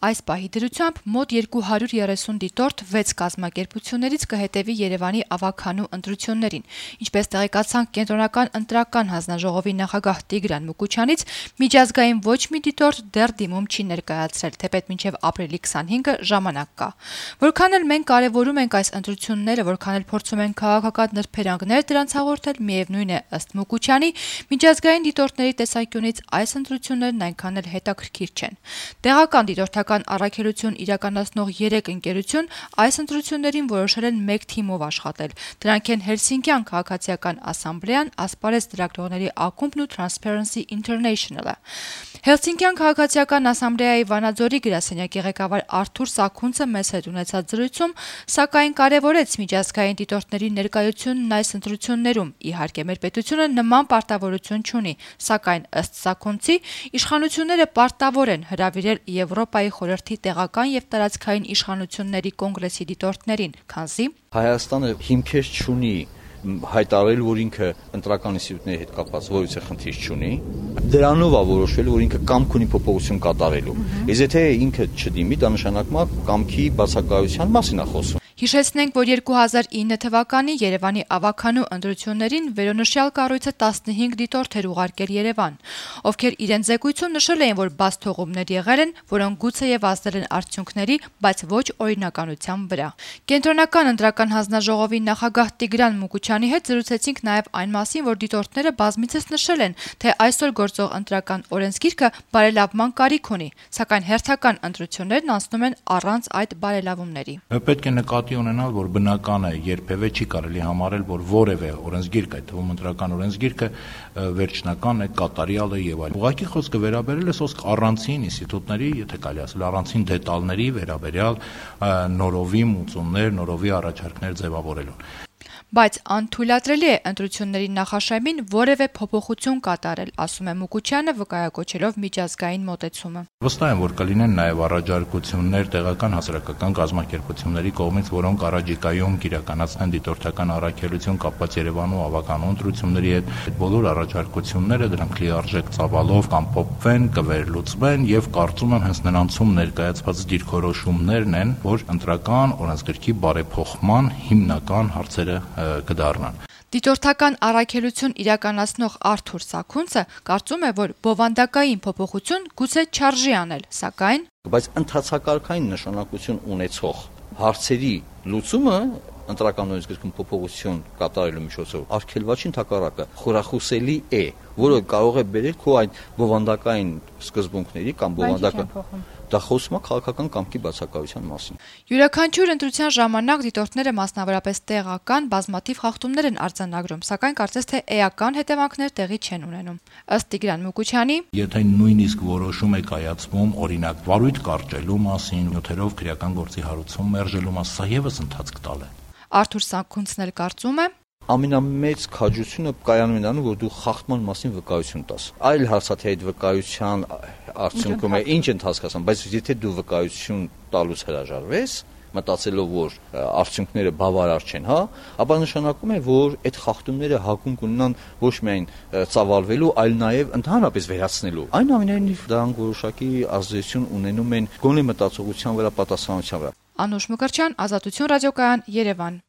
Այս պահի դրությամբ մոտ 230 դիտորդ 6 կազմակերպություններից կհետևի Երևանի ավագանու ընտրություններին։ Ինչպես տեղեկացանք Կենտրոնական ընտրական հանձնաժողովի նախագահ Տիգրան Մուկուչյանից, միջազգային ոչ մի դիտորդ դեռ դիմում չի ներկայացրել, թեպետ մինչև ապրիլի 25-ը ժամանակ կա։ Որքան էլ մենք կարևորում ենք այս ընտրությունները, որքան էլ փորձում ենք քաղաքական նրբերանգներ դրանց հաղորդել, միևնույն է, ըստ Մուկուչյանի, միջազգային դիտորդների տեսանկյունից այս ընտրություններն այնքան էլ հետաքրքիր չեն։ Տեղական դիտորդական առաքելություն իրականացնող 3 ընկերություն այս ընտրություններին որոշել են մեկ թիմով աշխատել։ Դրանք են Հելսինկյան քաղաքացիական ասամբլեան, ասպարեզ ծրագրողների ակումբն ու Transparency International-ը։ Հելսինկյան քաղաքացիական ասամբլեայի Վանաձորի գրասենյակի ղեկավար Արթուր Սաքունցը մեզ հետ ունեցած զրույցում, սակայն կարևորեց միջազգային դիտորդների ներկայությունն այս ընտրություններում։ Իհարկե, մեր պետությունը նման պարտավորություն չունի, սակայն ըստ Սաքունցի, իշխանությունները պարտավոր են հրավիրել Եվրոպայի խորհրդի տեղական եւ տարածքային իշխանությունների կոնգրեսի դիտորդներին, քանզի Հայաստանը հիմքեր չունի հայտարարել, որ ինքը ընտրական ինստիտուտների հետ կապված որևէ խնդիր չունի, դրանով է որոշվել, որ ինքը կամք ունի փոփոխություն կատարելու։ Իսկ եթե ինքը չդիմի, դա նշանակում է կամքի բացակայության մասին է խոսում։ Հիշեցնենք, որ 2009 թվականի Երևանի ավագանու ընտրություններին վերոնշյալ կառույցը 15 դիտորդ էր ուղարկել Երևան, ովքեր իրենց զեկույցում նշել էին, որ բաց թողումներ եղել են, որոնք գուցեև ազդել են արդյունքների, բայց ոչ օրինականության վրա։ Կենտրոնական ընտրական հանձնաժողովի նախագահ Տիգրան Մուկուչյանի հետ զրուցեցինք նաև այն մասին, որ դիտորդները բազմիցս նշել են, թե այսօր գործող ընտրական օրենսգիրքը բարելավման կարիք ունի, սակայն հերթական ընտրություններն անցնում են առանց այդ բարելավումների։ Պետք է նկատի ունենալ, որ բնական է, երբևէ չի կարելի համարել, որ որևէ օրենսգիրք, այդ թվում ընտրական օրենսգիրքը վերջնական է, կատարյալ է եւ այլն։ Ուղղակի խոսքը վերաբերել է սոսկ առանցին ինստիտուտների, եթե կարելի ասել, առանցին դետալների վերաբերյալ նորովի մուծումներ, նորովի առաջարկներ ձևավորելուն։ Բայց անթույլատրելի է ընտրությունների նախաշեմին որևէ փոփոխություն կատարել, ասում է Մուկուչյանը, վկայակոչելով միջազգային մոտեցումը։ Վստահ եմ, որ կլինեն նաև առաջարկություններ տեղական հասարակական կազմակերպությունների կողմից, որոնք առաջիկայում կիրականացնեն դիտորդական առաքելություն կապված Երևանու ավագանու ընտրությունների հետ։ Այդ բոլոր առաջարկությունները դրանք լիարժեք ծավալով կամփոփվեն, կվերլուծվեն եւ կարծում եմ հենց նրանցում ներկայացված դիրքորոշումներն են, որ ընտրական օրենսգրքի բարեփոխման հիմնական հարցերը կդառնան։ Դիտորդական առաքելություն իրականացնող Արթուր Սաքունցը կարծում է, որ բովանդակային փոփոխություն գուցե չարժի անել, սակայն բայց ընդհանցակարգային նշանակություն ունեցող հարցերի լուծումը ընտրական օրենսգրքում փոփոխություն կատարելու միջոցով արգելված ընդհակառակը խորախուսելի է, որը կարող է բերել քո այդ բովանդակային սկզբունքների կամ բովանդական դա խոսում է քաղաքական կամքի բացակայության մասին։ Յուրաքանչյուր ընտրության ժամանակ դիտորդները մասնավորապես տեղական բազմաթիվ խախտումներ են արձանագրում, սակայն կարծես թե էական հետևանքներ տեղի չեն ունենում։ Ըստ Տիգրան Մուկուչյանի, եթե նույնիսկ որոշում է կայացվում, օրինակ, վարույթ կարճելու մասին, նյութերով քրեական գործի հարուցում մերժելու մասին, սա եւս ընթացք տալ է։ Արթուր Սաքունցն էլ կարծում է, ամենամեծ քաջությունը կայանում է նրանում, որ դու խախտման մասին վկայություն տաս։ Այլ հարցա թե այդ վկայության արդյունքում է ինչ են հասկացան, բայց եթե դու վկայություն տալուց հրաժարվես, մտածելով, որ արդյունքները բավարար չեն, հա, ապա նշանակում է, որ այդ խախտումները հակում կունենան ոչ միայն ծավալվելու, այլ նաև ընդհանրապես վերացնելու։ Այնուամենայնիվ դրանք որոշակի ազդեցություն ունենում են գոնե մտածողության վրա, պատասխանատվության վրա։ Անուշ Մկրտչյան, Ազատություն ռադիոկայան, Երևան։